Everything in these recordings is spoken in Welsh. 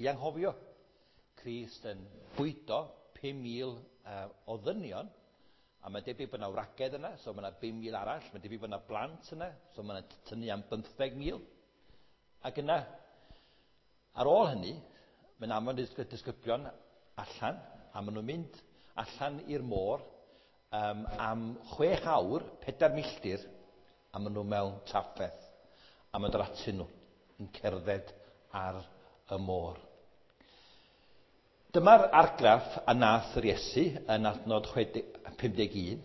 i anghofio. Crist yn bwydo 5,000 o ddynion, a mae'n debyg bod yna wragedd yna, so mae yna 5,000 arall, mae'n debyg bod yna blant yna, so mae yna tynnu am 15,000. Ac yna, ar ôl hynny, mae'n amon disgyblion allan, a maen nhw'n mynd allan i'r môr am 6 awr, 4 milltir, a maen nhw mewn trafferth, a maen dod atyn nhw yn cerdded ar y môr. Dyma'r argraff a nath yr Iesu yn adnod 51.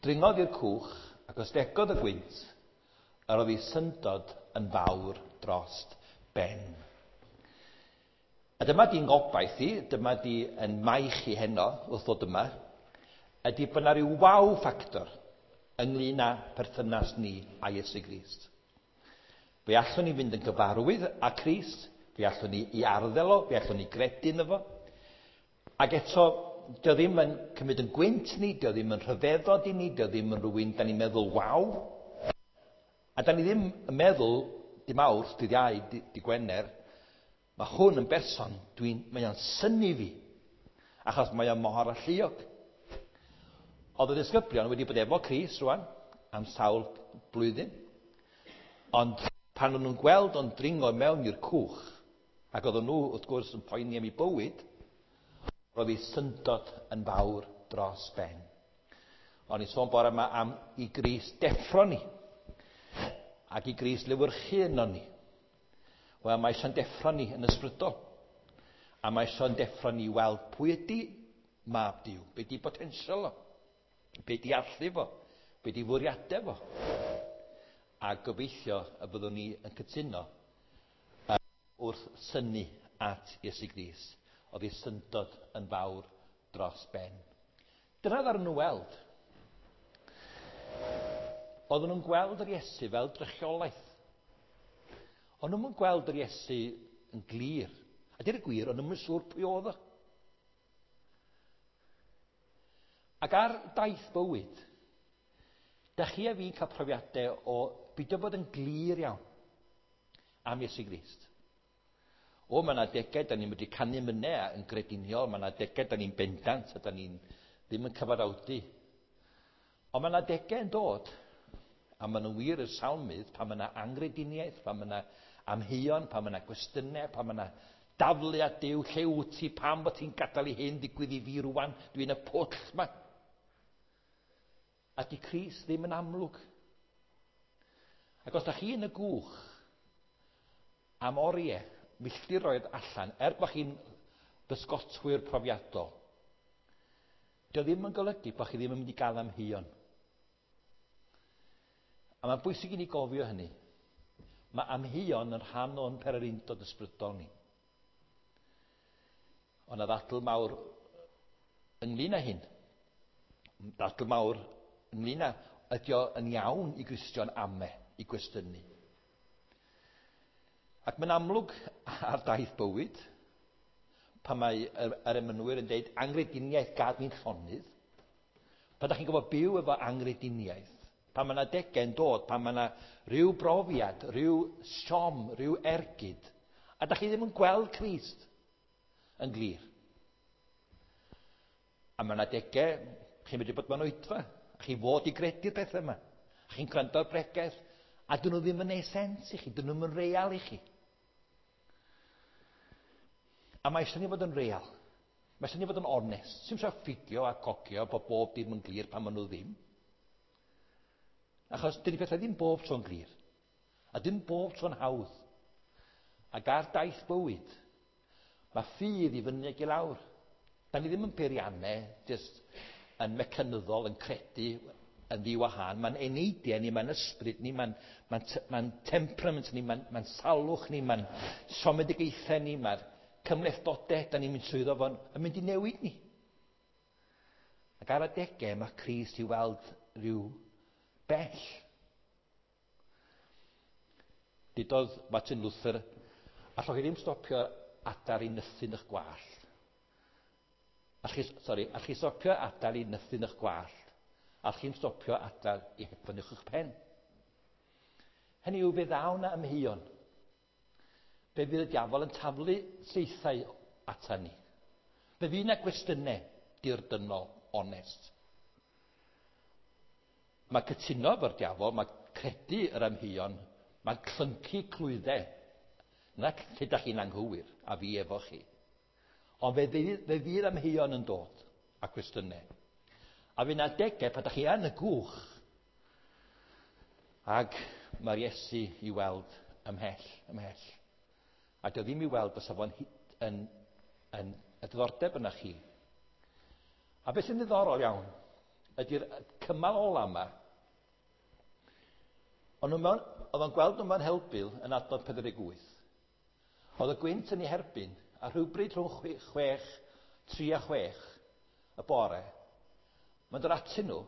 Dringodd i'r cwch ac ostegodd y gwynt, yr oedd ei syndod yn fawr drost ben. A dyma di'n gobaith i, dyma di yn maich i heno wrth ddod yma, ydy bod yna rhyw wow factor ynglyn â perthynas ni a Iesu Grist. Fe allwn ni fynd yn gyfarwydd â Crist, fe allwn ni i arddel o, fe allwn ni gredu ynddo fo. Ac eto, dio ddim yn cymryd yn gwynt ni, dio ddim yn rhyfeddod i ni, dio ddim yn rhywun da ni'n meddwl waw. A da ni ddim yn meddwl, di Mawrth, dydd Iau, di Gwener, mae hwn yn berson, mae o'n synnu fi, achos mae o'n mor alluog. Oedd y disgyblion wedi bod efo Crist rwan am sawl blwyddyn, ond pan o'n nhw'n gweld o'n dringo mewn i'r cwch, ac oedden nhw wrth gwrs yn poeni am ei bywyd, roedd ei syndod yn fawr dros ben. O'n i sôn bore yma am i Grist deffro ni, ac i Grist lewyrchu yno ni. Wel, mae eisiau'n deffro ni yn ysbrydol, a mae eisiau'n deffro ni i weld pwy ydy mab Duw, be di potensial o, be di allu fo, be di fwriadau fo. A gobeithio y byddwn ni yn cytuno wrth synnu at Iesu Grist, oedd ei syndod yn fawr dros ben. Dyna ddaru nhw weld. Oedden nhw'n gweld yr Iesu fel drychiolaeth. O'n nhw'n gweld yr Iesu yn glir. A dweud y gwir, o'n nhw'n siŵr pwy oedd o. Ac ar daith bywyd, da chi a fi'n cael profiadau o beidio bod yn glir iawn am Iesu Grist. O, mae yna adegau da ni'n medru canu mynau yn grediniol, mae yna adegau da ni'n bendant a da ni'n ddim yn cyfaddawdu. Ond mae yna adegau yn dod, a maen nhw'n wir i'r salmydd, pan mae yna angrediniaeth, pan mae yna amheuon, pan mae yna gwestiynau, pan mae yna daflu at Duw, lle wyt ti, pam bod ti'n gadael i hyn ddigwydd i fi rwan, dwi'n y pwll yma. A di Crist ddim yn amlwg. Ac os da chi yn y gwch am oriau, milltiroedd allan, er bod chi'n bysgotwyr profiadol, dio ddim yn golygu bod chi ddim yn mynd i gael amheuon. A mae'n bwysig i ni gofio hynny. Mae amheuon yn rhan o'n pererindod ysbrydol ni. Ond na ddadl mawr ynglyn â hyn. Dadl mawr ynglyn â ydy o yn iawn i Gristion ame, i gwestiynu. Ac mae'n amlwg ar daith bywyd, pan mae yr emynwyr yn dweud angrediniaeth gad ni'n llonydd, pan da chi'n gwybod byw efo angrediniaeth, pan mae yna adegau yn dod, pan mae yna rhyw brofiad, rhyw siom, rhyw ergyd, a da chi ddim yn gweld Crist yn glir. A mae yna adegau, chi'n medru bod mewn oedfa, a chi fod i gredu'r pethau yma, a chi'n gwrando ar bregeth, a dyn nhw ddim yn neud sens i chi, dyn nhw'n yn real i chi. A mae eisiau ni fod yn real. Mae eisiau ni fod yn onest. Sy'n eisiau ffugio a cogio bod bob dim yn glir pan maen nhw ddim. Achos dydy pethau ddim bob tro'n glir. A dim bob tro'n hawdd. Ac ar daith bywyd, mae ffydd i fyny ac i lawr. Da ni ddim yn peiriannau, jyst yn mecanyddol, yn credu yn ddiwahân. Mae'n eneidiau ni, mae'n ysbryd ni, mae'n temperament ni, mae'n salwch ni, mae'n siomedigaethau ni, mae'r cymhlethdodau da ni'n mynd trwyddo fo'n yn mynd i newid ni. Ac ar adegau mae Crist i weld rhyw bell. Dudodd Martin Luther, allwch chi ddim stopio adar i nythu yn eich gwallt. Allwch chi stopio adar i nythu yn eich gwallt. Allwch chi'n stopio adar i hedfan uwch eich pen. Hynny yw, fe ddaw na amheuon. Fe fydd y diafol yn taflu saethau ata ni. Fe fydd yna gwestiynau dirdynnol, onest. Mae cytuno efo'r diafol, mae credu yr amheuon, mae clyncu clwyddau. Na lle da chi'n anghywir, a fi efo chi. Ond fe fydd, fe fydd amheuon yn dod a cwestiynau. A fydd yna adegau pan da chi yn y gwch. Ac mae'r Iesu i weld ymhell, ymhell. A dio ddim i weld fysa fo'n yn, yn, y diddordeb yna chi. A beth sy'n ddiddorol iawn ydy'r cymal ola yma. Ond nhw mewn, oedd o'n gweld nhw mewn helbul yn adnod 48. Oedd y gwynt yn ei herbyn, a rhywbryd rhwng 6, 3 a 6 y bore, mae'n dod atyn nhw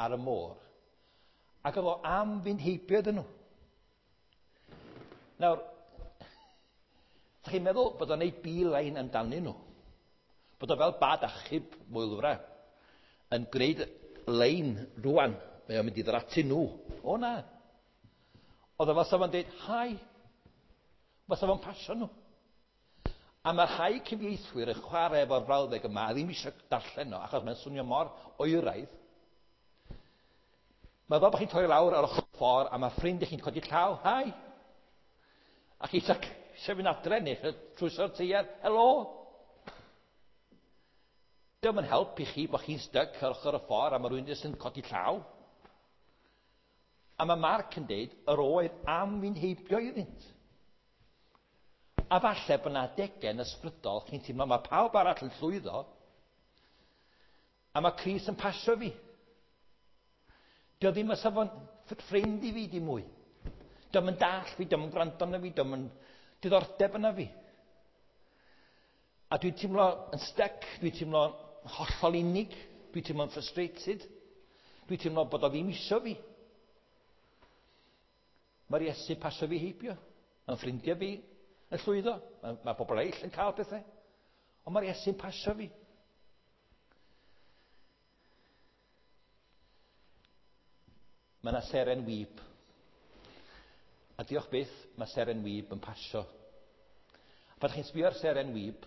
ar y môr, ac oedd o am fynd heibio iddyn nhw. Nawr, ydych chi'n meddwl bod o'n ei beeline amdanyn nhw? Bod o fel bad achub mwylfra yn gwneud lein rwan, mae o'n mynd i ddod atyn nhw. O na. Oedd o fel sa fo'n dweud, hi. Fysa fo'n pasio nhw. A mae rhai cyfieithwyr yn chwarae efo'r frawddeg yma a ddim eisiau darllen o, achos mae'n swnio mor oeraidd. Mae fel bod chi'n torri lawr ar ochr ffordd a mae ffrind i chi'n codi llaw, hi. A chi eisiau fynd adre neu trwyso'r teiar, helo. Dio'm yn help i chi bod chi'n styc ar ochr y ffordd a mae rhywun jyst yn codi llaw. A mae Mark yn deud, yr oedd am fynd heibio iddynt. A falle bod yna adegau yn ysbrydol, chi'n teimlo mae pawb arall yn llwyddo, a mae Crist yn pasio fi. Dio ddim yn safon ffrind i fi dim mwy. Dio'm yn dall fi, dio'm yn gwrando arna fi, dio'm yn diddordeb yna fi. A dwi'n teimlo yn stuck, dwi'n teimlo hollol unig, dwi'n teimlo'n frustrated, dwi'n teimlo bod o ddim isio fi. Mae'r Iesu pasio fi heibio. Mae'n ffrindiau fi yn llwyddo. Mae, mae pobl eraill yn cael pethau. Ond mae'r Iesu'n pasio fi. Mae yna seren wyb. A diolch byth, mae seren wyb yn pasio. A pan chi'n sbio ar seren wyb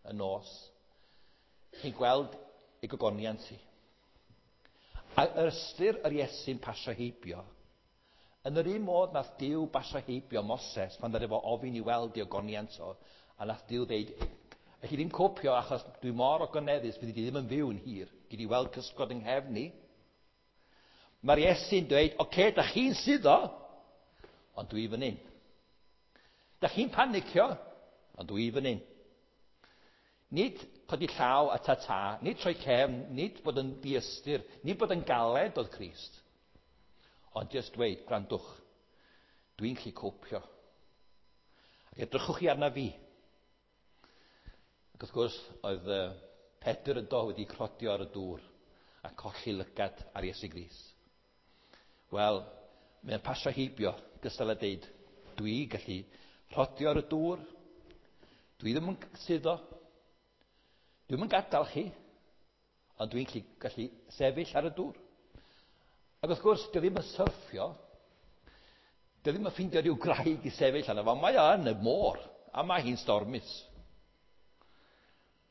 y nos, chi'n gweld ei gogoniant hi. A yr ystyr yr Iesu'n pasio heibio, yn yr un modd nath Duw basio heibio Moses pan ddaru fo ofyn i weld ei ogoniant o, a nath Duw ddeud, elli ddim copio achos dwi mor ogoneddus, fyddi di ddim yn fyw yn hir, gei di weld cysgod yng nghefn i. Mae'r Iesu'n dweud, oce, okay, da chi'n suddo, ond dwi fan hyn. Da chi'n panicio, ond dwi fan hyn. Nid codi llaw a ta-ta, nid troi cefn, nid bod yn diystyr, nid bod yn galed oedd Crist. Ond jyst dweud, gwrandwch, dwi'n gallu copio. Ac edrychwch chi arna fi. Ac wrth gwrs, oedd Pedr yn do wedi crodio ar y dŵr a colli lygad ar Iesu Grist. Wel, mae'n pasio heibio, gystal â deud, dwi gallu rhodio ar y dŵr, dwi ddim yn suddo, dwi'm yn gadael chi, ond dwi'n gallu, gallu sefyll ar y dŵr. Ac wrth gwrs, dio ddim yn syrffio, dio ddim yn ffeindio rhyw graig i sefyll arno fo, mae o yn y môr, a mae hi'n stormus.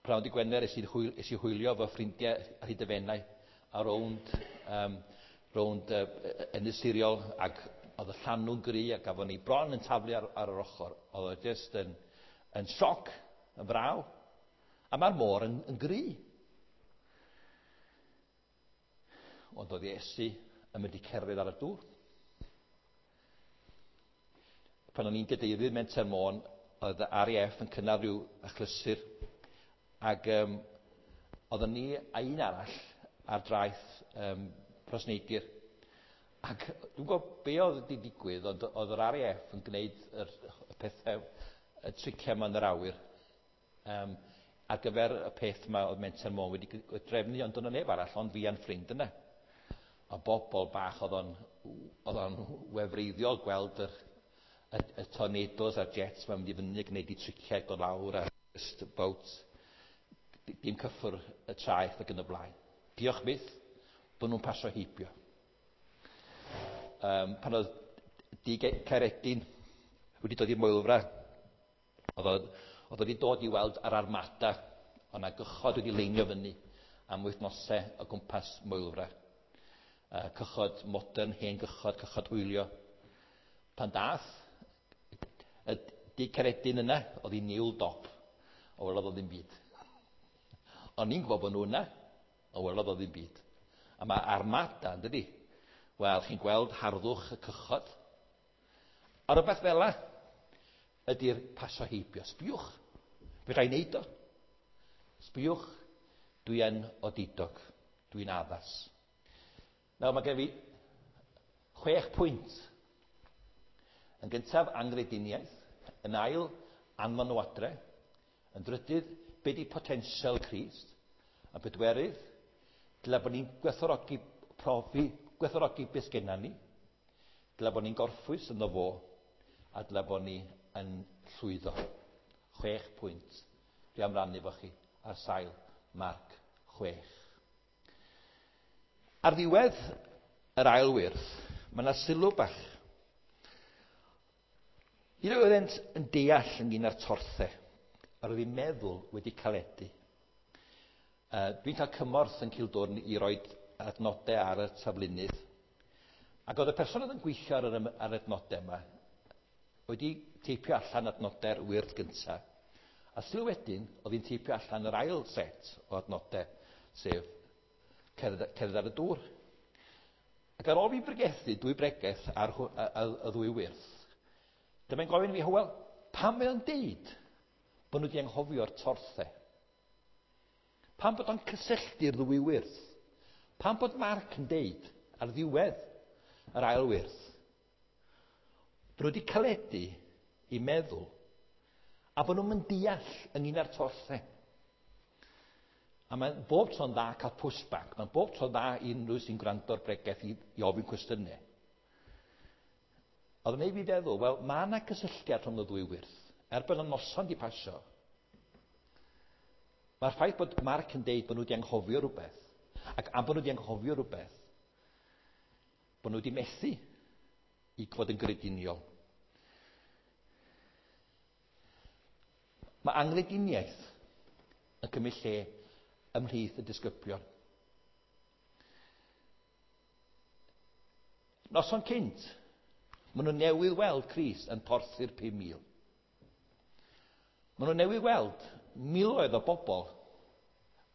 Prawn di Gwener es i, hwyl, es i hwylio efo ffrindiau ar hyd y Fenai a rownd, um, rownd Ynys Siriol ac oedd y llanw'n gry a gafon ni bron yn taflu ar, ar yr ochr. Oedd o jyst yn, yn sioc, yn fraw. A mae'r môr yn, yn gry. Ond oedd Iesu yn mynd i cerdded ar y dŵr. Pan o'n i'n gadeirydd Menter Môn, oedd y RAF yn cynnal rhyw achlysur, ac um, oeddwn ni a un arall ar draeth um, Rhosneigr. Ac dwi'n gwybod be oedd wedi digwydd, ond oedd yr RAF yn gwneud yr, y pethau, y triciau yma yn yr awyr, um, ar gyfer y peth yma oedd Menter Môn wedi drefnu, ond dyna neb arall, ond fi a'n ffrind yna. A bobl bach oedd o'n, oedd o'n wefreiddiol gweld yr, y, y tornadoes a'r jets mae'n mynd i fyny a gwneud i triciau dod lawr a just about dim cyffwr y traeth ac yn y blaen. Diolch byth bod nhw'n pasio heibio. Um, pan oedd Dug Caeredin wedi dod i'r Moelfra. Oedd o wedi dod i weld yr armada, oedd 'na gychod wedi leinio fyny am wythnosau o gwmpas Moelfre. Cychod modern, hen gychod, cychod hwylio. Pan dath y Dug Caeredin yna, oedd hi'n niwl dop, o welodd o ddim byd. O'n i'n gwybod bod nhw yna, o welodd o ddim byd. A mae armada, yn dydi? Wel, chi'n gweld harddwch y cychod. A rhywbeth fel 'na ydy'r pasio heibio. Sbiwch, fe rai wneud o. Sbiwch, dwi yn odidog, dwi'n addas. Nawr, mae gen fi 6 pwynt. Yn gyntaf, angrediniaeth. Yn ail, anfon nhw adre. Yn drydydd, be di potensial Crist? A bedwerydd, dyle bod ni'n gwerthfawrogi profi, gwerthfawrogi beth sgenna ni. Dyle bod ni'n gorffwys ynddo fo, a dyle bod ni yn llwyddo. 6 pwynt. Dwi am rannu efo chi ar sail Marc 6. Ar ddiwedd yr ail wyrth, mae yna sylw bach. Un oeddent yn deall ynglyn â'r torthau, yr oedd eu meddwl wedi caledu. Dwi'n cael cymorth yn Cildwrn i roi adnodau ar y taflunydd. Ac oedd y person oedd yn gweithio ar yr, ar adnodau yma wedi teipio allan adnodau'r wyrdd gyntaf. A sylw wedyn, oedd hi'n teipio allan yr ail set o adnodau, sef cerdded, cerdded ar y dŵr. Ac ar ôl fi bregethu dwy bregeth ar y ddwy wyrth, dyma'n gofyn i fi, Hywel, pam mae o'n deud bod nhw wedi anghofio'r torthau? Pam bod o'n cysylltu'r ddwy wyrth? Pam bod Marc yn deud ar ddiwedd yr ail wyrth bod nhw wedi caledu i meddwl a bod nhw'n mynd deall ynglyn â'r torthau? A mae'n bob tro'n dda cael pushback. Mae'n bob tro'n dda i unrhyw sy'n gwrando'r bregeth i ofyn cwestiynau. Oedd yn ei fi feddwl, wel, mae yna gysylltiad rhwng y ddwy wyrth. Er bod y noson di pasio, mae'r ffaith bod Marc yn deud bod nhw wedi anghofio rhywbeth, ac am bod nhw wedi anghofio rhywbeth, bod nhw wedi methu i fod yn grediniol. Mae angrediniaeth yn cymryd lle ymhlith y disgyblion. Noson cynt, maen nhw newydd weld Crist yn porthu'r 5,000. Maen nhw newydd weld miloedd o bobl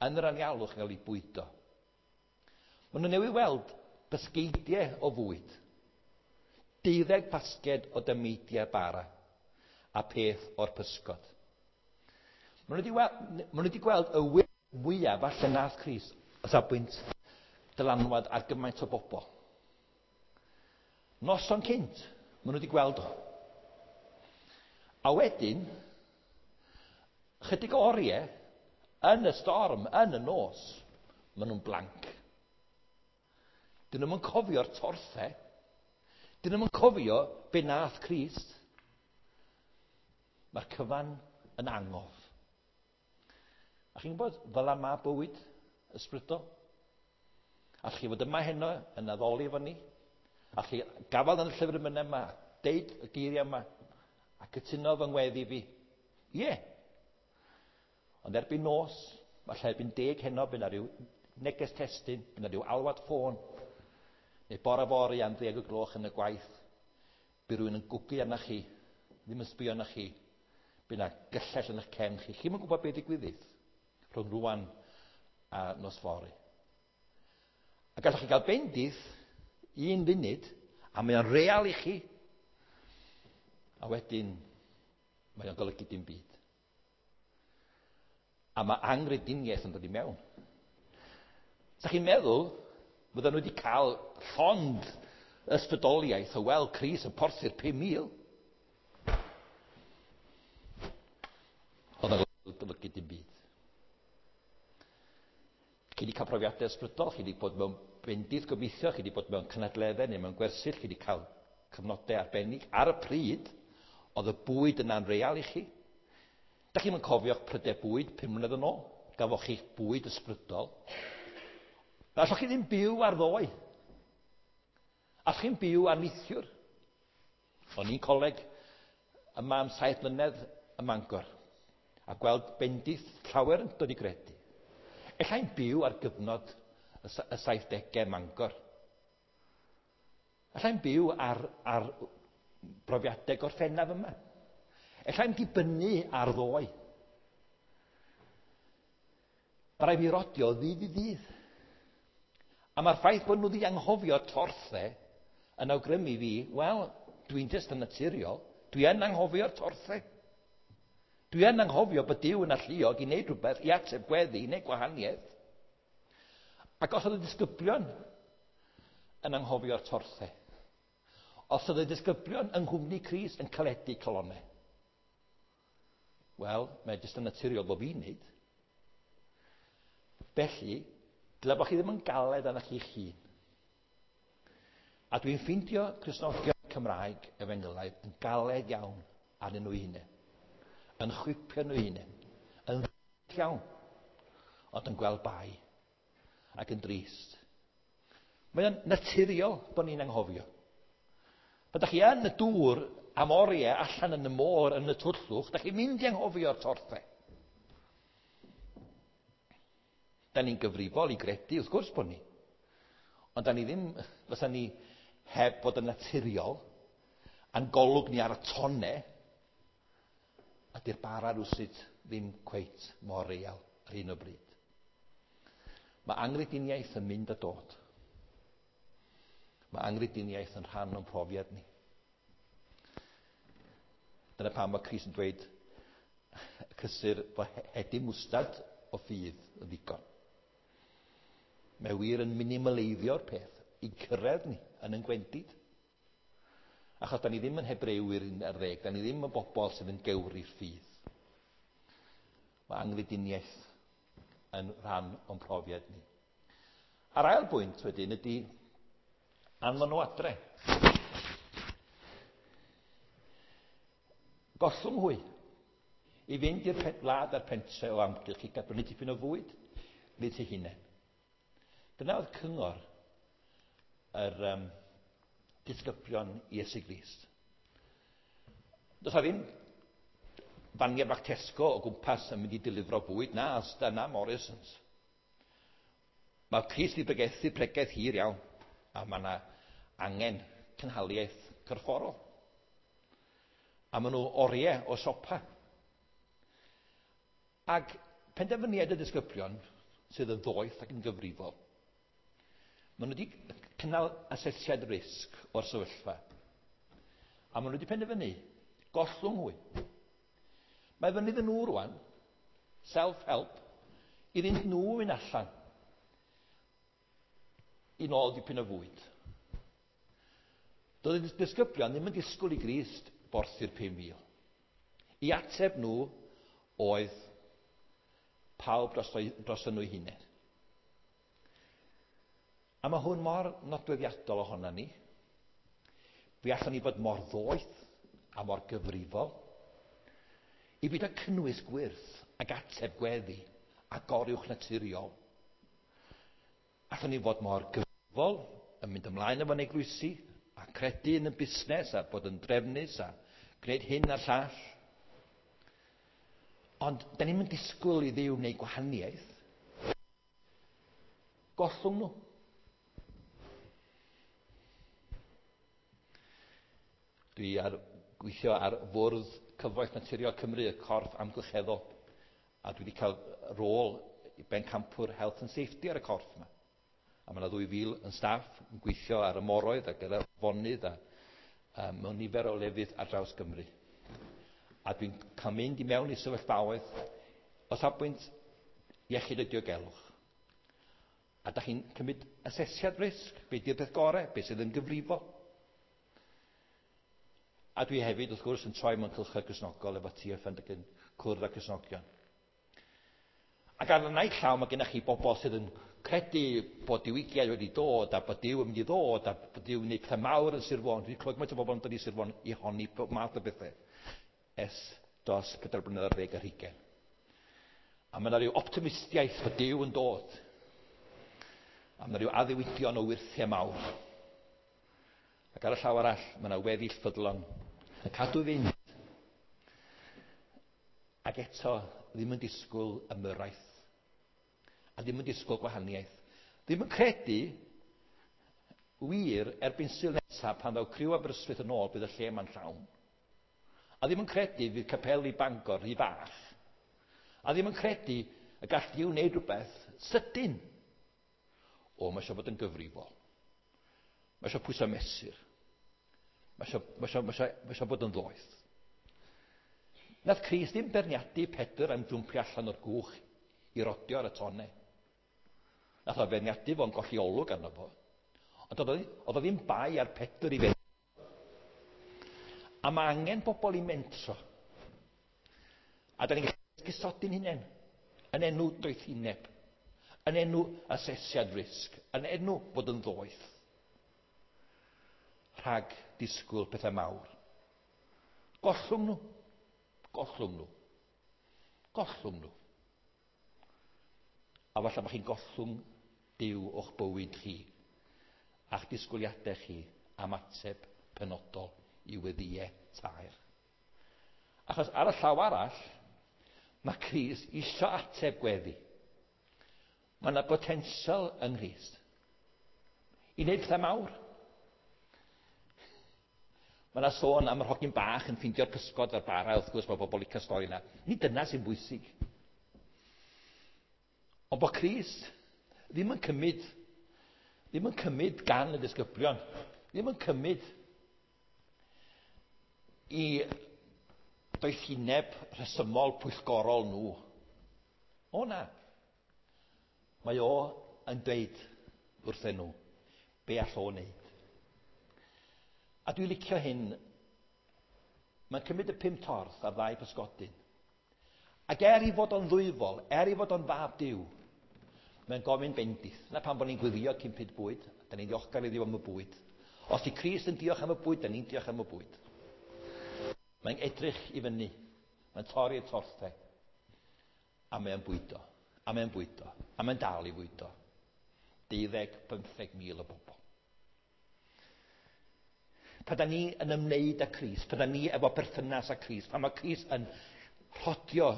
yn yr anialwch yn cael eu bwydo. Maen nhw newydd weld basgeidiau o fwyd, 12 basged o dameidiau bara a peth o'r pysgod. Maen nhw wedi, maen nhw wedi gweld y wyrth mwyaf falle nath Crist o safbwynt dylanwad ar gymaint o bobl. Noson cynt, maen nhw wedi gweld o. A wedyn, chydig o oriau, yn y storm, yn y nos, maen nhw'n blank. Dyn nhw'n cofio'r torthau. Dyn nhw'n cofio be nath Crist. Mae'r cyfan yn angof. A chi'n gwybod, fel yma bywyd ysbrydol. Allwch chi fod yma heno yn addoli efo ni. Allwch chi gafael yn y llyfr emynau yma, deud y geiriau yma, a cytuno fy ngweddi fi. Ie. Yeah. Ond erbyn nos, falle erbyn 10 heno, bydd 'na ryw neges testun, bydd 'na ryw alwad ffôn, neu bore fory am 10 o gloch yn y gwaith, bydd rhywun yn gwgu arna chi, ddim yn sbio arna chi, bydd 'na gyllell yn eich cefn chi. Chi'm yn gwybod beth ddigwyddith rhwng rwan a nos fory. A gallwch chi gael bendith un funud, a mae o'n real i chi, a wedyn mae o'n golygu dim byd. A mae angrediniaeth yn dod i mewn. Sa chi'n meddwl, fydden nhw wedi cael llond ysbrydoliaeth o weld Crist yn porthu'r 5,000. Oedd o'n golygu dim byd. Chi wedi cael profiadau ysbrydol, chi wedi bod mewn bendith gobeithio, chi wedi bod mewn cynadleddau neu mewn gwersyll, chi wedi cael cyfnodau arbennig. Ar y pryd, oedd y bwyd yna'n real i chi. Da chi'n cofio'ch prydau bwyd 5 mlynedd yn ôl? Gafoch chi'ch bwyd ysbrydol. Allwch chi ddim byw ar ddoe. Allwch chi'n byw ar neithiwr. O'n i'n coleg yma am 7 mlynedd ym Mangor a gweld bendith llawer yn dod i gredu. Ella i'n byw ar gyfnod y 70au Mangor. Ella i'n byw ar brofiadau Gorffennaf yma. Ella i'n dibynnu ar ddoe. Mae rhaid fi rodio ddydd i ddydd. A mae'r ffaith bod nhw wedi anghofio torthau yn awgrymu fi, wel, dwi'n jyst yn naturiol, dwi yn anghofio'r torthau. Dwi yn anghofio bod Duw yn alluog i wneud rhywbeth, i ateb gweddi, i wneud gwahaniaeth. Ac os oedd y disgyblion yn anghofio'r torthau, os oedd y disgyblion yng nghwmni Crist yn caledu calonnau, wel, mae jyst yn naturiol bod fi'n wneud. Felly, dyle bod chi ddim yn galed arnoch chi'ch hun. A dwi'n ffeindio Cristnogion Cymraeg efengylaidd yn galed iawn arnyn nhw hunain. Yn chwipio nhw hunain. Yn ddig iawn. Ond yn gweld bai. Ac yn drist. Mae o'n naturiol bod ni'n anghofio. Pan da chi yn y dŵr am oriau allan yn y môr yn y twllwch, da chi'n mynd i anghofio'r torthau. Da ni'n gyfrifol i gredu, wrth gwrs bod ni. Ond da ni ddim, fysa ni heb fod yn naturiol, a'n golwg ni ar y tonne, a di'r bara rwsut ddim cweit mor real ar hyn o bryd. Mae anghrediniaeth yn mynd a dod. Mae anghrediniaeth yn rhan o'n profiad ni. Dyna pam mae Crist yn dweud y cysur fo hedyn mwstad o ffydd yn ddigon. Mae wir yn minimaleiddio'r peth i cyrraedd ni yn ein gwendid. Achos da ni ddim yn Hebrewyr 11, da ni ddim yn bobl sydd yn gewri'r ffydd. Mae anghrediniaeth yn rhan o'n profiad ni. A'r ail bwynt wedyn ydy anfon nhw adre. Gollwng hwy i fynd i'r wlad a'r pentre o amgylch i gael brynu tipyn o fwyd nid eu hunain. Dyna oedd cyngor yr disgyblion Iesu Grist. Does 'na ddim faniau bach Tesco o gwmpas yn mynd i delifro bwyd, na, Asda, na Morrisons. Mae Crist wedi pregethu pregeth hir iawn, a mae yna angen cynhaliaeth corfforol. A maen nhw oriau o siopa. Ac penderfyniad y disgyblion sydd yn ddoeth ac yn gyfrifol, maen nhw wedi cynnal asesiad risg o'r sefyllfa. A maen nhw wedi penderfynu gollwng hwy. Mae fyny iddyn nhw rwan, self-help, iddynt nhw fynd allan i nôl dipyn o fwyd. Doedd y disgyblion ddim yn disgwyl i Grist borthi'r 5,000. I ateb nhw oedd pawb dros nhw eu hunain. A mae hwn mor nodweddiadol ohono ni. Fe allwn ni fod mor ddoeth a mor gyfrifol i byd â cynnwys gwyrth ac ateb gweddi a goruwch naturiol. Allwn ni fod mor gyfrifol yn mynd ymlaen efo'n eglwysi a credu yn y busnes a bod yn drefnus a gwneud hyn a'r llall. Ond da ni'm yn disgwyl i Dduw wneud gwahaniaeth. Gollwng nhw. Dwi ar gweithio ar fwrdd Cyfoeth Naturiol Cymru, y corff amgylcheddol, a dwi wedi cael rôl i bencampwr Health and Safety ar y corff yma. A mae yna 2,000 yn staff yn gweithio ar y moroedd ac ar y afonydd a mewn nifer o lefydd ar draws Gymru. A dwi'n cael mynd i mewn i sefyllfaoedd o safbwynt iechyd a diogelwch. A da chi'n cymryd asesiad risg, be di'r peth gorau, be sydd yn gyfrifol. A dwi hefyd, wrth gwrs, yn troi mewn cylchoedd Cristnogol efo TFN ac yn cwrdd â Cristnogion. Ac ar y naill llaw mae gennych chi bobl sydd yn credu bod diwygiad wedi dod a bod Duw yn mynd i ddod a bod Duw yn gwneud pethau mawr yn Sir Fôn. Dwi'n clywed gymaint o bobl yn dod i Sir Fôn i honni pob math o bethau ers dros 4 blynedd ar ddeg ar hugain. A mae yna rhyw optimistiaeth bod Duw yn dod. A mae yna rhyw addewidion o wyrthiau mawr. Ac ar y llaw arall, mae yna weddill ffyddlon yn cadw fynd. Ac eto, ddim yn disgwyl ymyrraeth. A ddim yn disgwyl gwahaniaeth. Ddim yn credu wir erbyn Sul nesaf pan ddaw criw Aberystwyth yn ôl bydd y lle yma'n llawn. A ddim yn credu fydd capeli Bangor rhy fach. A ddim yn credu y gall Duw wneud rhywbeth sydyn. O, mae eisiau bod yn gyfrifol. Mae eisiau pwyso mesur. Mae eisiau bod yn ddoeth. Nath Crist ddim beirniadu Pedr am jwmpio allan o'r gwch i rodio ar y tonne. Nath o feirniadu fo'n golli olwg arno fo. Ond oedd o ddim bai ar Pedr i fe. A mae angen bobl i mentro. A da ni'n gallu esgusodi'n hunain yn enw doethineb, yn enw asesiad risg, yn enw bod yn ddoeth. Rhag disgwyl pethau mawr. Gollwng nhw. Gollwng nhw. Gollwng nhw. A falle bod chi'n gollwng Duw o'ch bywyd chi a'ch disgwyliadau chi am ateb penodol i weddïau taer. Achos ar y llaw arall, mae Crist isio ateb gweddi. Mae yna potensial yng Nghrist i wneud pethau mawr. Mae yna sôn am yr hogyn bach yn ffeindio'r pysgod a'r bara, wrth gwrs mae bobl licio stori yna. Nid dyna sy'n bwysig. Ond bod Crist ddim yn cymryd gan y disgyblion, ddim yn cymryd i doethineb rhesymol pwyllgorol nhw. O na. Mae o yn dweud wrthyn nhw be all o wneud. A dwi'n licio hyn. Mae'n cymryd y 5 torth a'r 2 pysgodyn. Ac er i fod o'n ddwyfol, er i fod o'n fab Duw, mae'n gofyn bendith. Na pam bod ni'n gweddio cyn pryd bwyd, da ni'n ddiolchgar i Dduw am y bwyd. Os di Crist yn diolch am y bwyd, da ni'n diolch am y bwyd. Mae'n edrych i fyny, mae'n torri'r torthau, a mae'n bwydo, a mae'n bwydo, a mae'n dal i fwydo. 12, 15,000 o bobl. Pan da ni yn ymwneud â Crist, pan da ni efo perthynas â Crist, pan mae Crist yn rhodio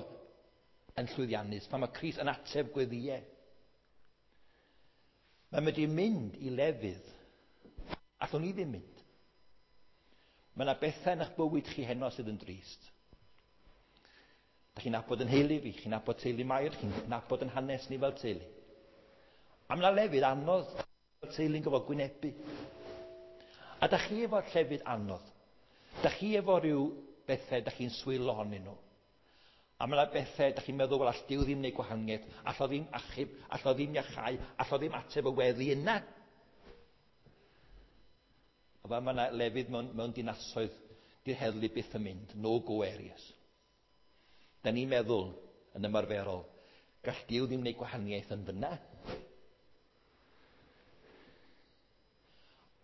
yn llwyddiannus, pan mae Crist yn ateb gweddïau, mae'n medru mynd i lefydd allwn ni ddim mynd. Mae yna bethau yn eich bywyd chi heno sydd yn drist. Da chi'n nabod yn heulu fi, chi'n nabod teulu Mair, chi'n nabod yn hanes ni fel teulu. A mae yna lefydd anodd fel teulu'n gofod gwynebu. A da chi efo llefydd anodd. Da chi efo rhyw bethau da chi'n swil ohonyn nhw. A mae yna bethau da chi'n meddwl, wel, all Duw ddim wneud gwahaniaeth, all o ddim achub, all o ddim iachau, all o ddim ateb y weddi yna. A fel mae yna lefydd mewn dinasoedd, di'r heddlu byth yn mynd, no-go areas. Da ni'n meddwl yn ymarferol, gall Duw ddim wneud gwahaniaeth yn fyna.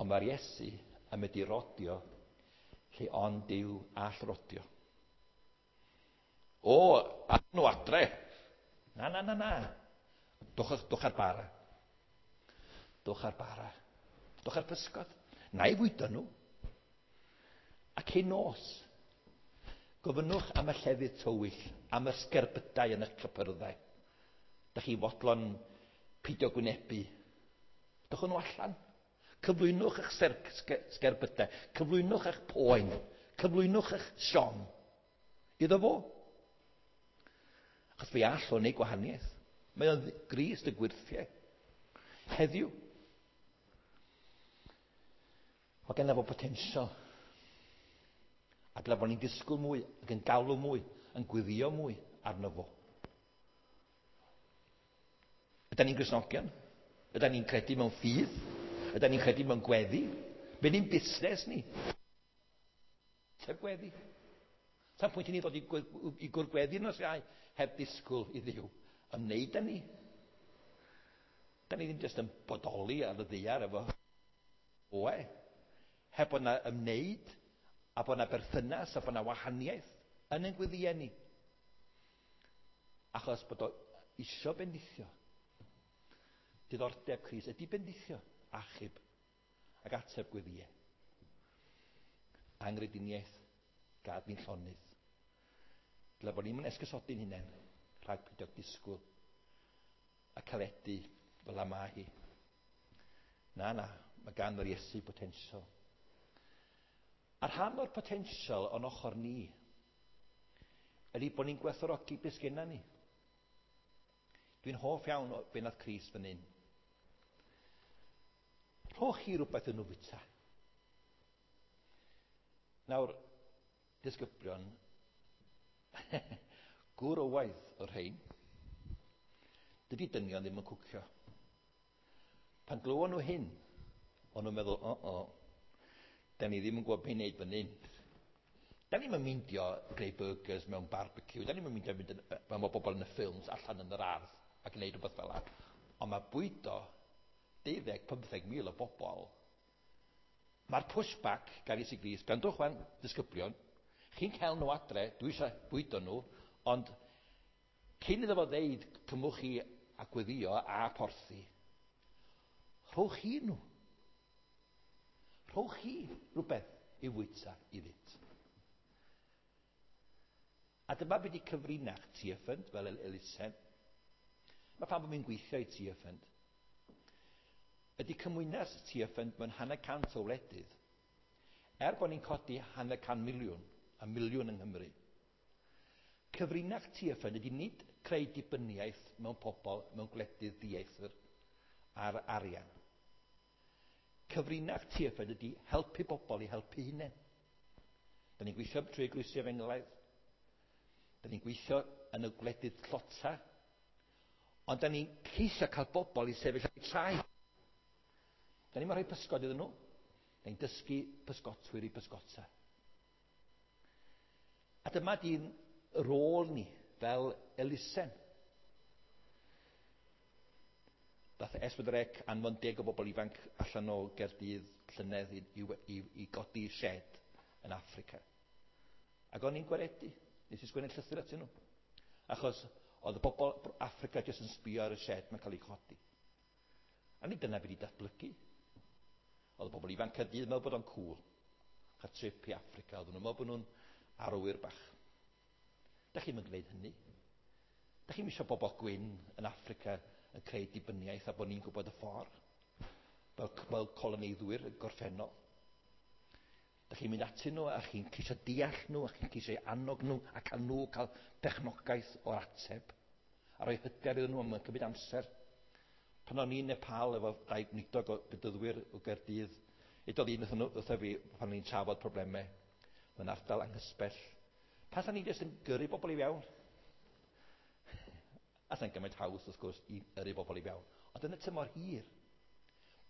Ond mae'r Iesu yn mynd i rodio lle ond Duw all rodio. O, a nhw adre. Na, na, na, na. Dwch ar bara. Dwch ar bara. Dwch ar pysgod. Na i fwydo nhw. A cyn nos, gofynnwch am y llefydd tywyll, am y sgerbydau yn eich cypyrddau. Da chi fodlon pidio gwynebu. Dwch nhw allan. Cyflwynwch eich sgerbydau. Cyflwynwch eich poen. Cyflwynwch eich siom. Iddo fo. Achos fe all o wneud gwahaniaeth. Mae o'n Grist y gwyrthiau. Heddiw. Mae genna fo potensial. A dyle bod ni'n disgwyl mwy, ac yn galw mwy, yn gwyddio mwy arno fo. Ydan ni'n Gristnogion? Ydan ni'n credu mewn ffydd? Ydan ni'n credu mewn gweddi? Be ni'n busnes ni? Sef gweddi. Sa'n pwynt i ni ddod i gwrgweddi nos Iau heb ddisgwyl i Dduw ymwneud â ni. Da ni ddim jyst yn bodoli ar y ddaear efo oe. Heb bod na ymwneud a bod na berthynas a bod na wahaniaeth yn ein gweddïau ni. Achos bod o isio bendithio. Diddordeb Crist ydy bendithio, achub ac ateb gweddïau. Angrediniaeth, gad ni'n llonydd. Dyle bod ni'n esgusodi'n hunain rhag peidio disgwyl a caledu fel y mae hi. Na, na, mae gan yr Iesu potensial. A rhan o'r potensial o'n ochr ni ydy bod ni'n gwerthfawrogi beth sgenna ni. Dwi'n hoff iawn o be nath Crist fan hyn. Rhowch chi rhywbeth yn nhw fwyta. Nawr, disgyblion, gŵr o waith o'r rhain, dydy dynion ddim yn cwcio. Pan glywon nhw hyn, o'n nhw'n meddwl, o, o, da ni ddim yn gwybod beth i wneud fan hyn. Da ni'n meindio greu burgers mewn barbecue, da ni'n meindio mynd yn, fel mae bobl yn y ffilms allan yn yr ardd a gwneud rhywbeth fel yna. Ond mae bwydo 12-15 mil o bobl. Mae'r pushback gan Iesu Grist, gwrandwch wan, disgyblion, chi'n cael nhw adre, dwi eisiau bwydo nhw, ond cyn iddo fo ddeud cymwch chi a gweddio a porthi, rhowch chi nhw. Rhowch chi rhywbeth i fwyta iddynt. A dyma beth i cyfrinach Tearfund fel elusen. Mae pam bod mi'n gweithio i Tearfund. Ydy cymwynas Tearfund mewn 150 o wledydd. Er bod ni'n codi 500 miliwn a miliwn yng Nghymru. Cyfrinach Tearfund ydy nid creu dibyniaeth mewn pobl mewn gwledydd dieithr ar arian. Cyfrinach Tearfund ydy helpu bobl i helpu hunain. Da ni'n gweithio trwy eglwysi efengylaidd. Da ni'n gweithio yn y gwledydd tlota. Ond da ni'n ceisio cael bobl i sefyll ar eu traed. Da ni'n rhoi pysgod iddyn nhw. Da ni'n dysgu pysgotwyr i bysgota. A dyma di'n rôl ni fel elusen. Dath S4C anfon 10 o bobl ifanc allan o Gaerdydd llynedd i godi shed yn Affrica. Ac o'n i'n gwaredu. Nes i sgwennu llythyr atyn nhw. Achos oedd y bobl Affrica jyst yn sbio ar y shed mae'n cael ei chodi. A nid dyna beth i datblygu. Oedd y bobl ifanc Caerdydd yn meddwl bod o'n cool. Cael trip i Affrica. Oedden nhw'n meddwl bod nhw'n arwyr bach. Da chi'n mynd gwneud hynny. Da chi'n eisiau bobl gwyn yn Affrica yn creu dibyniaeth a bod ni'n gwybod y ffordd. Fel coloneiddwyr y gorffennol. Da chi'n mynd atyn nhw a chi'n ceisio deall nhw a chi'n ceisio annog nhw a cael nhw cael perchnogaeth o'r ateb. A rhoi hyder iddyn nhw am cymryd amser. Pan o'n i'n Nepal efo dau gweinidog o bedyddwyr o Gaerdydd, edodd un wrtho fi pan o'n i'n trafod problemau mewn ardal anghysbell. Pan sa'n ni jyst yn gyrru bobl i fewn? A sa'n gymaint haws, wrth gwrs, i yrru bobl i fewn. Ond yn y tymor hir,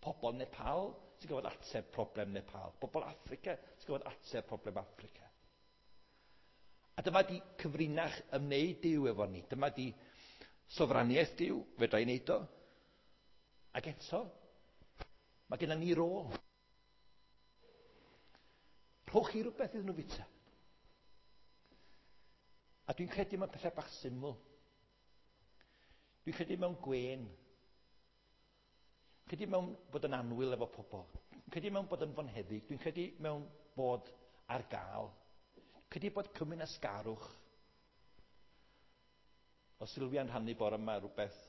pobl Nepal sy'n gwybod ateb problem Nepal. Pobl Affrica sy'n gwybod ateb problem Affrica. A dyma di cyfrinach ymwneud Duw efo ni. Dyma di sofraniaeth Duw, fedra i wneud o. Ac eto, mae gennym ni rôl. Rhowch chi rhywbeth iddyn nhw fwyta. A dwi'n credu mewn pethau bach syml. Dwi'n credu mewn gwên. Dwi'n credu mewn bod yn annwyl efo pobl. Dwi'n credu mewn bod yn fonheddig. Dwi'n credu mewn bod ar gael. Dwi'n credu bod cymwynasgarwch. O Sylfia'n rhannu bore yma rhywbeth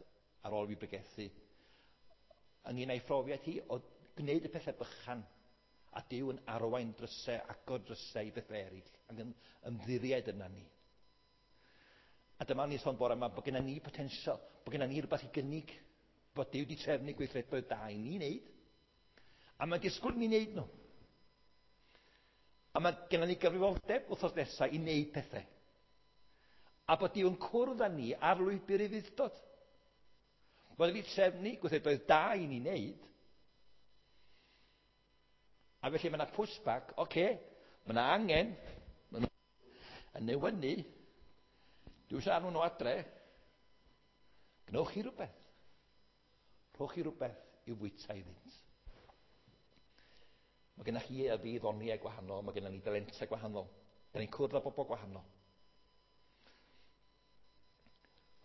ar ôl fi bregethu. Ynglyn â'i phrofiad hi o gwneud y pethau bychan a Duw yn arwain drysau, agor drysau i bethau eraill ac yn ymddiried yna ni. A dyma ni sôn bore yma bod gennym ni potensial, bod gennym ni rhywbeth i gynnig, bod Duw wedi trefnu gweithredoedd da i ni wneud. A mae'n disgwyl ni wneud nhw. A mae gennym ni gyfrifoldeb wythnos nesaf i wneud pethau. A bod Duw yn cwrdd â ni ar lwybr ufudd-dod. Bod wedi trefnu gweithredoedd da i ni wneud. A felly mae yna pushback, oce, mae yna angen, mae nhw yn newynu, dwi eisiau anfon nhw adre, gwnewch chi rhywbeth. Rhowch chi rhywbeth i'w fwyta iddynt. Mae gennych chi a fi ddoniau gwahanol, mae gennym ni dalentau gwahanol. Da ni'n cwrdd â bobl gwahanol.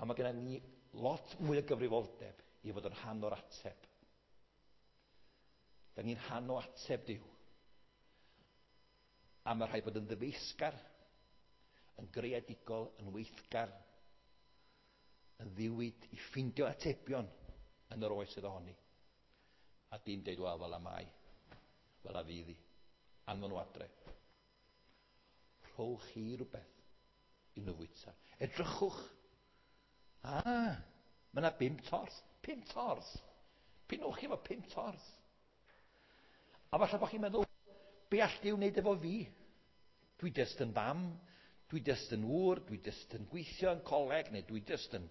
A mae gennym ni lot mwy o gyfrifoldeb i fod yn rhan o'r ateb. Da ni'n rhan o ateb Duw. A mae rhaid bod yn ddyfeisgar, yn greadigol, yn weithgar, yn ddiwyd i ffindio atebion yn yr oes sydd ohoni. A dim deud, wel, fel y mae, fel a fydd hi. Anfon nhw adre. Rhowch chi rhywbeth i nhw fwyta. Edrychwch. Ah, mae yna 5 torth. 5 torth. Pinwch chi efo 5 torth. A falle bod chi'n meddwl, be all Duw wneud efo fi? Dwi jyst yn fam, dwi jyst yn ŵr, dwi jyst yn gweithio yn coleg, neu dwi jyst yn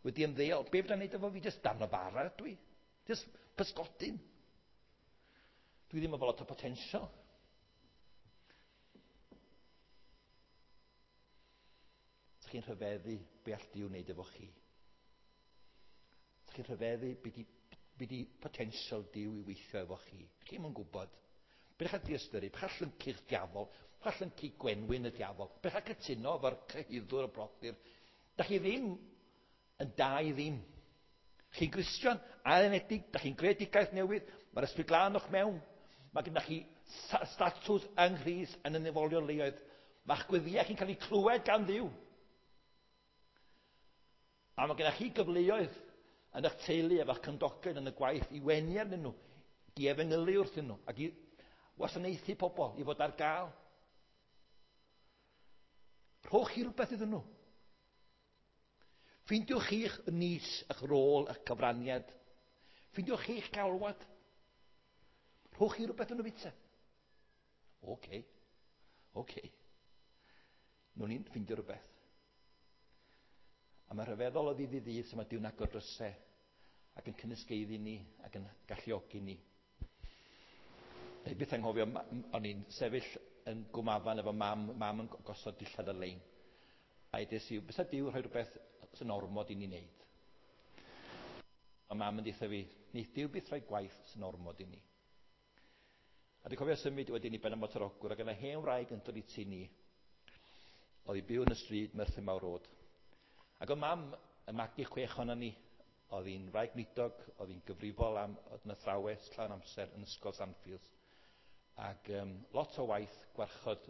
wedi ymddeol. Be fydda'n wneud efo fi? Jyst darn o bara dwi. Jyst pysgodyn. Dwi ddim efo lot o potensial. Ydych chi'n rhyfeddu be all Duw wneud efo chi? Ydych chi'n rhyfeddu be di potensial Duw i weithio efo chi? Chi'm yn gwybod. Beth chi'n diystyru, beth chi'n llyncu'ch diafol, beth chi'n llyncu gwenwyn y diafol, beth chi'n cytuno efo'r cyhuddwr y brodyr. Da chi ddim yn da i ddim. Chi'n Gristion, ailenedig, da chi'n greadigaeth newydd, mae'r Ysbryd Glân o'ch mewn, mae gennych chi statws yng Nghrist yn y nefolion leoedd. Mae'ch gweddïau chi'n cael eu clywed gan Dduw. A mae gennych chi gyfleoedd yn eich teulu efo'ch cymdogion yn y gwaith i wenu arnyn nhw, i efengylu wrthyn nhw, ac i wasanaethu pobl, i fod ar gael. Rhowch chi rhywbeth iddyn nhw. Ffeindiwch chi'ch niche, eich rôl, eich cyfraniad. Ffeindiwch chi'ch galwad. Rhowch chi rhywbeth yn y fita. Oce. Oce. Nw'n ni'n ffeindio rhywbeth. A mae rhyfeddol o ddydd i ddydd sy'n mae Duw'n agor drysau ac yn cynysgeiddi ni ac yn galluogi ni. Neu byth anghofio, o'n i'n sefyll yn Gwmafan efo mam, mam yn gosod dillad ar lein. A edes i, bysa Duw rhoi rhywbeth sy'n ormod i ni wneud. A mam yn deutha fi, neith Duw byth rhoi gwaith sy'n ormod i ni. A dwi'n cofio symud wedyn i Ben-y-bont ar Ogwr, ac yna hen wraig yn dod i tŷ ni. Oedd hi byw yn y stryd Merthyr Mawr Road. Ac oedd mam yn magu 6 ohonon ni. Oedd hi'n wraig nidog, oedd hi'n gyfrifol am, oedd yn athrawes llawn amser yn ysgol Sandfields. Ac lot o waith gwarchod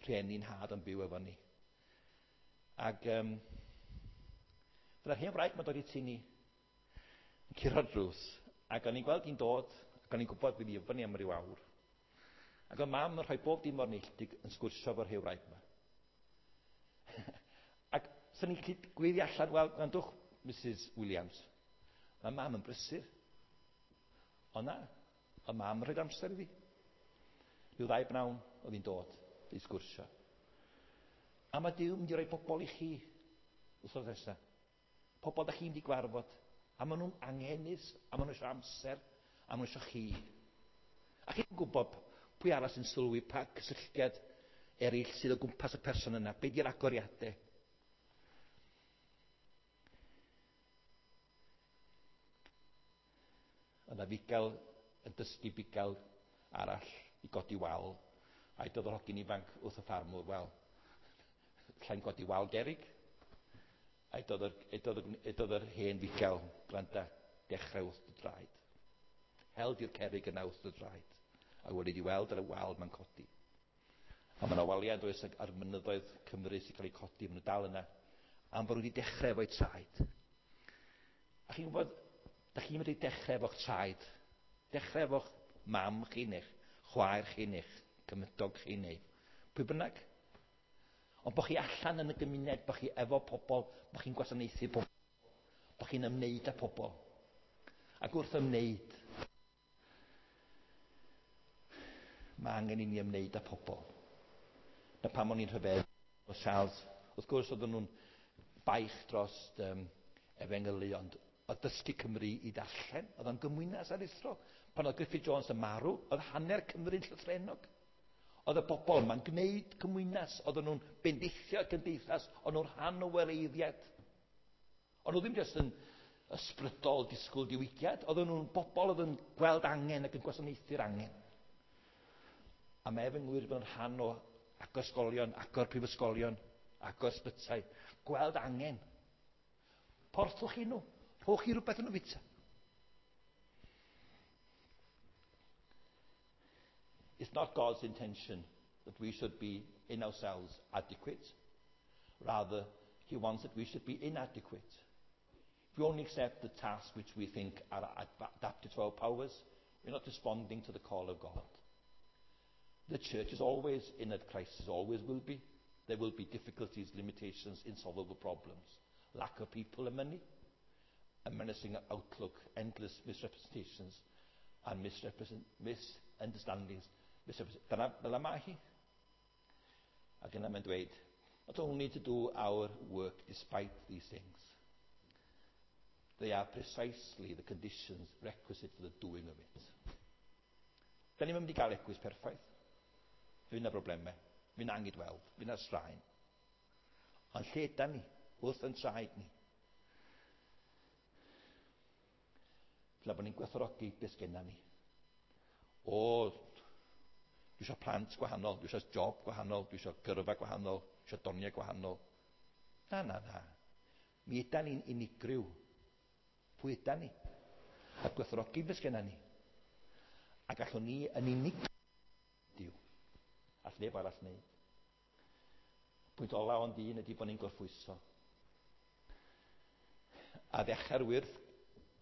rhieni'n nhad yn byw efo ni. Ac fyddai'r hen wraig mae'n dod i tŷ ni, yn curo'r drws, ac o'n i'n gweld hi'n dod, ac o'n i'n gwybod fydd hi fyny am ryw awr. Ac oedd mam yn rhoi bob dim o'r neilltu yn sgwrsio efo'r hen wraig yma. Ac sy'n ni'n gallu gweiddi allan, wel, gwrandwch, Mrs Williams, mae mam yn brysur. O na, oedd mam yn rhoi amser iddi. Rhyw ddau bnawn oedd hi'n dod i sgwrsio. A mae Duw mynd i roi pobl i chi wrth nesaf. Pobl da chi'n mynd i gwarfod. A maen nhw'n angenus, a maen nhw eisiau amser, a maen nhw eisiau chi. A chi'n gwybod pwy arall sy'n sylwi pa cysylltiad eraill sydd o gwmpas y person yna. Be di'r agoriadau? Yna fugail yn dysgu bugail arall i godi wal. A dod o'r hogyn ifanc wrth y ffarmwr, wel, llai'n godi wal gerig. A doedd yr hen fugail, gwranda, dechrau wrth dy draed. Hel di'r cerig yna wrth dy draed. A wedi di weld ar y wal mae'n codi. A mae yna waliau does ar mynyddoedd Cymru sy'n cael eu codi, maen nhw dal yna. Am bod nhw wedi dechrau efo'u traed. A chi'n gwybod, da chi'n medru dechrau efo'ch traed. Dechrau efo'ch mam chi neu'ch chwaer chi neu'ch cymydog chi neu pwy bynnag. Ond bod chi allan yn y gymuned, bod chi efo pobl, bod chi'n gwasanaethu pobl, bod chi'n ymwneud â pobl. Ac wrth ymwneud, mae angen i ni ymwneud â pobl. Na pam o'n i'n rhyfedd o Charles, wrth gwrs oedden nhw'n baich dros efengylu, ond oedd dysgu Cymru i ddarllen, oedd o'n gymwynas aruthrol. Pan oedd Griffith Jones yn marw, oedd hanner Cymru'n llythrennog. Oedd y bobl yma'n gwneud cymwynas, oedden nhw'n bendithio cymdeithas, o'n nhw'n rhan o wareiddiad. O'n nhw ddim jyst yn ysbrydol disgwyl diwygiad, oedden nhw'n bobl oedd yn gweld angen ac yn gwasanaethu'r angen. A mae efengwyr yn rhan o agor ysgolion, agor prifysgolion, agor ysbytai, gweld angen. Porthwch chi nhw, rhowch chi rhywbeth yn nhw fita. It's not God's intention that we should be in ourselves adequate. Rather, he wants that we should be inadequate. If we only accept the tasks which we think are adapted to our powers, we're not responding to the call of God. The church is always in a crisis, always will be. There will be difficulties, limitations, insolvable problems, lack of people and money, a menacing outlook, endless misrepresentations and misunderstandings. Dyna fel mae hi. Ac yna mae'n dweud, not only to do our work despite these things, they are precisely the conditions requisite for the doing of it. Da ni'n mynd i gael eglwys perffaith. Fydd yna broblemau, fydd yna angydweld, fydd yna straen. Ond lle da ni? Wrth yn traed ni. Fel bod ni'n gwerthfawrogi beth sgenna ni. O, dwi eisiau plant gwahanol, dwi eisiau job gwahanol, dwi eisiau gyrfa gwahanol, dwi eisiau doniau gwahanol. Na, na, na. Mi ydan ni'n unigryw. Pwy ydan ni? A gwerthfawrogi beth sgenna ni. A gallwn ni yn unig Duw. All neb arall wneud. Pwynt ola ond un ydy bod ni'n gorffwyso. A ddechrau'r wyrth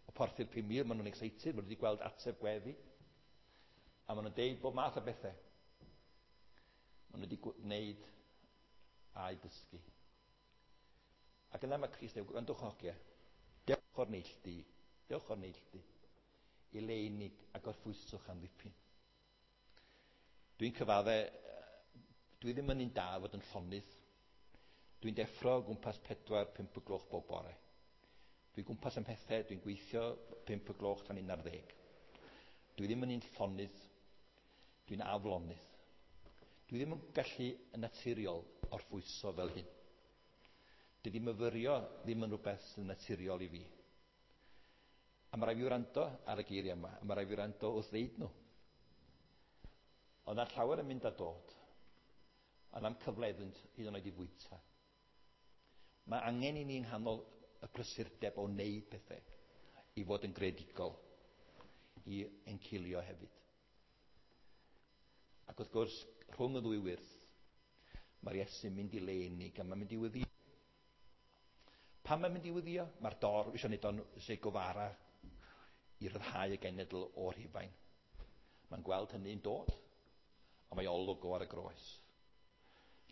o porthu'r 5,000, maen nhw'n excited, maen nhw wedi gweld ateb gweddi. A maen nhw'n deud bob math o bethau. Maen nhw wedi gwneud a'u dysgu. Ac yna mae Crist yn dweud, gwrandwch hogia, dewch o'r neilltu, dewch o'r neilltu, i le unig a gorffwyswch am ddipyn. Dwi'n cyfadde, dwi ddim yn un da fod yn llonydd. Dwi'n deffro o gwmpas 4-5 y gloch bob bore. Dwi'n gwmpas am pethau, dwi'n gweithio 5 y gloch tan 11. Dwi ddim yn un llonydd, dwi'n aflonydd. Dwi ddim yn gallu yn naturiol orffwyso fel hyn. Dydy myfyrio ddim yn rhywbeth sy'n naturiol i fi. A mae rhaid fi wrando ar y geiriau yma, a mae rhaid fi wrando wrth ddeud nhw. Ond ar llawer yn mynd a dod, ond am cyfle iddynt hyd yn oed i fwyta. Mae angen i ni yng nghanol y prysurdeb o wneud pethau i fod yn greadigol, i encilio hefyd. Ac wrth gwrs, rhwng y ddwy wyrth, mae'r Iesu'n mynd i le unig a mae'n mynd i weddïo. Pam mae'n mynd i weddïo? Mae'r dor eisiau gwneud o'n Che Guevara i ryddhau y genedl o'r Rhufain. Mae'n gweld hynny'n dod, a mae olwg o ar y groes.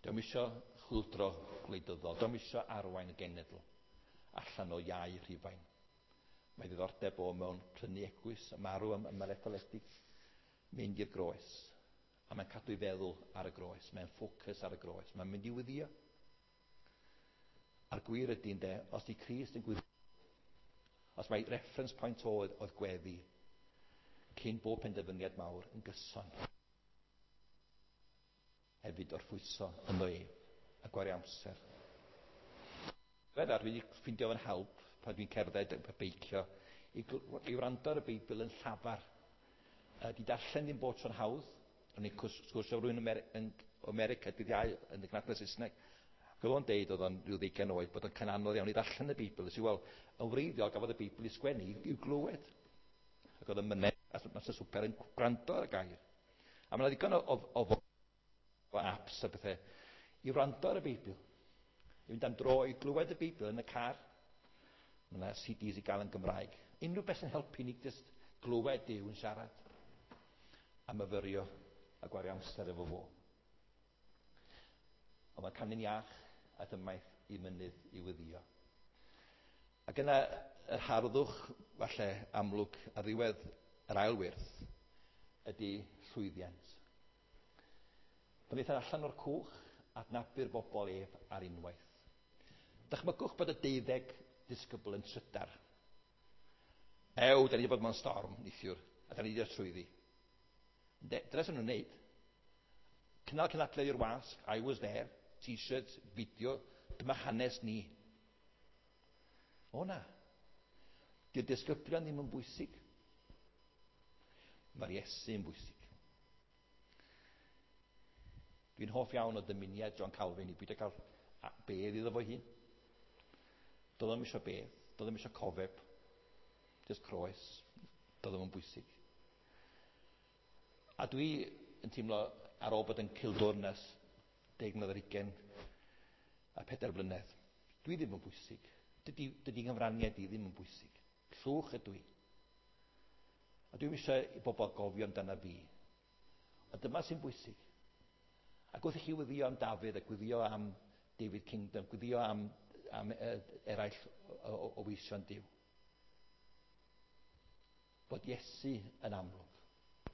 Dio'm isio chwyldro gwleidyddol, dio'm isio arwain y genedl allan o iau Rhufain. Mae ddiddordeb o mewn prynu eglwys, a marw am yr etholedig, mynd i'r groes. A mae'n cadw ei feddwl ar y groes, mae'n ffocws ar y groes, mae'n mynd i weddïo. A'r gwir ydy, ynde, os di Crist yn gweddio, os mae reference point oedd gweddi, cyn bob penderfyniad mawr yn gyson, hefyd orffwyso ynddo ef a gwario amser. Feddar, dwi wedi ffeindio fo'n help pan dwi'n cerdded a beicio i wrando ar y Beibl yn llafar. Di darllen ddim bod tro'n hawdd. O'n i'n sgwrsio rhywun yn America dydd Iau yn y gynhadledd Saesneg. Ac oedd o'n deud, oedd o'n rhyw 20 oed, bod o'n anodd iawn i ddarllen y Beibl. Nes i, wel, yn wreiddiol gafodd y Beibl ei sgwennu i'w glywed. Ac oedd yn myned, a mas y swper yn gwrando ar y gair. A mae 'na ddigon o apps a bethau i wrando ar y Beibl. I fynd am dro i glywed y Beibl yn y car. Mae yna CDs i gael yn Gymraeg. Unrhyw beth sy'n helpu ni jyst glywed Duw yn siarad. A myfyrio a gwario amser efo fo. Ond mae canu'n iach a dymaith i mynydd i weddïo. Ac yna yr harddwch falle amlwg ar ddiwedd yr ail wyrth ydy llwyddiant. Pan ddaethant allan o'r cwch, adnabu'r bobl ef ar unwaith. Dychmygwch bod y 12 disgybl yn trydar. Ew, da ni wedi bod mewn storm neithiwr, a da ni wedi dod trwyddi. Dyna sy'n nhw'n wneud. Cynnal cynadledd i'r wasg, I was there, t-shirts, fideo, dyma hanes ni. O na. Di'r disgyblion ddim yn bwysig. Mae'r Iesu yn bwysig. Dwi'n hoff iawn o dymuniad John Calvin i beidio cael bedd iddo fo hun. Doedd o'm isio bedd, doedd o'm isio cofeb, just croes, doedd o'm yn bwysig. A dwi yn teimlo ar ôl bod yn cildwrn ers 10 mlynedd ar hugain, a 4 blynedd. Dwi ddim yn bwysig. Dydy nghyfraniad i ddim yn bwysig. Llwch ydw i. A dwi'm eisiau i bobl gofio amdana fi. A dyma sy'n bwysig. Ac wrth i chi wyddio am Dafydd a gwyddio am David Kingdom, gwyddio am eraill o weision Duw, bod Iesu yn amlwg.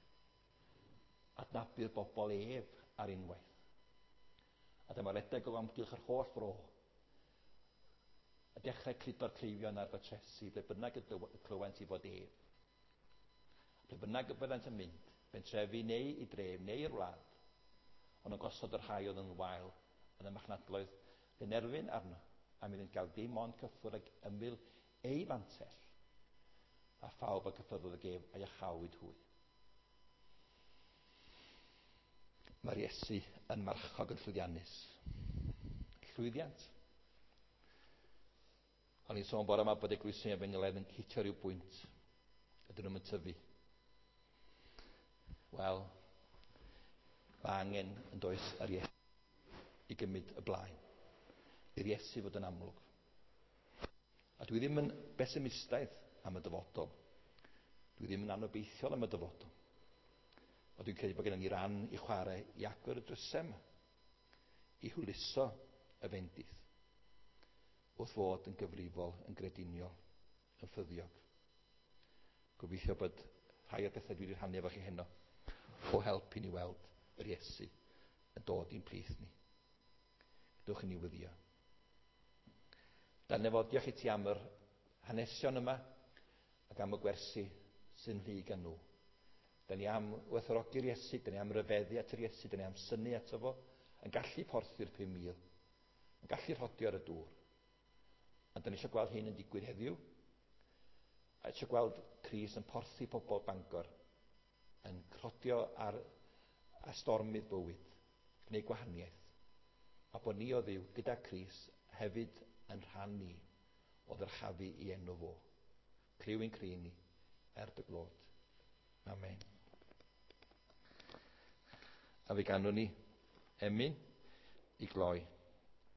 Adnabu'r bobl ef ar unwaith. A dyma redeg o amgylch yr holl fro. A dechrau cludo'r cleifion ar fatresi, ble bynnag y clywent i fod ef. Ble bynnag y byddant yn mynd, bentrefi neu i dref neu i'r wlad, ond yn gosod y rhai oedd yn wael yn y marchnadloedd gynerfyn arno, am iddynt gael dim ond cyffwrdd ag ymyl ei fantell, a phawb a gyffyrddodd ag ef a iachawyd hwy. Mae'r Iesu yn marchog yn llwyddiannus. Llwyddiant. O'n i'n sôn bore yma bod eglwysi efengylaidd yn hitio rhyw bwynt. Ydyn nhw'n tyfu. Wel, mae angen yn does ar Iesu i gymryd y blaen. I'r Iesu fod yn amlwg. A dwi ddim yn besimistaidd am y dyfodol. Dwi ddim yn anobeithiol am y dyfodol. Ond dwi'n credu bod gennym ni ran i chwarae i agor y drysau yma, i hwyluso y fendith, wrth fod yn gyfrifol, yn grediniol, yn ffyddiog. Gobeithio bod rhai o'r pethau dwi wedi rhannu efo chi heno o help i ni weld yr Iesu yn dod i'n plith ni. Gadewch i ni wyddio. Dan efo, diolch i ti am yr hanesion yma ac am y gwersi sy'n rhy gan nhw. Da ni am werthfawrogi'r Iesu, da ni am ryfeddu at yr Iesu, da ni am synnu ato fo, yn gallu porthu'r 5,000, yn gallu rhodio ar y dŵr. A da ni eisiau gweld hyn yn digwydd heddiw. A eisiau gweld Crist yn porthu pobl Bangor, yn rhodio ar stormydd bywyd, gwneud gwahaniaeth. A bod ni o Dduw gyda Crist hefyd yn rhan ni o ddyrchafu i enw fo. Clyw ein cri ni, er dy glod. Amen. A fe ganwn ni emyn i gloi.